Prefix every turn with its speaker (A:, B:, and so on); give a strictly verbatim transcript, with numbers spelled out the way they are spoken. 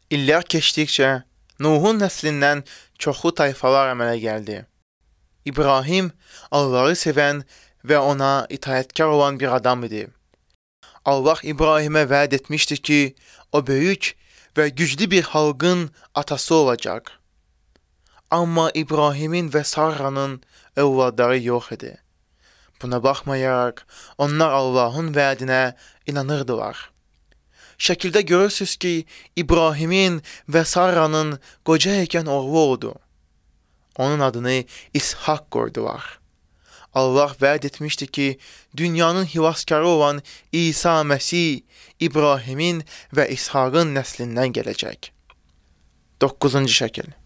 A: İllər keçdikcə Nuhun nəslindən çoxlu tayfalar əmələ gəldi. İbrahim Allahı sevən və ona itaətkar olan bir adam idi. Allah İbrahimə vəd etmişdi ki, o böyük və güclü bir xalqın atası olacaq. Amma İbrahimin və Sarranın övladları yox idi. Buna baxmayaraq, onlar Allahın vədinə inanırdılar. Şəkildə görürsünüz ki, İbrahimin və Sarranın qoca ikən oğlu oldu. Onun adını İshak qoydular. Allah vəd etmişdi ki, dünyanın xilaskarı olan İsa Məsih İbrahimin və İshakın nəslindən gələcək. doqquzuncu şəkil.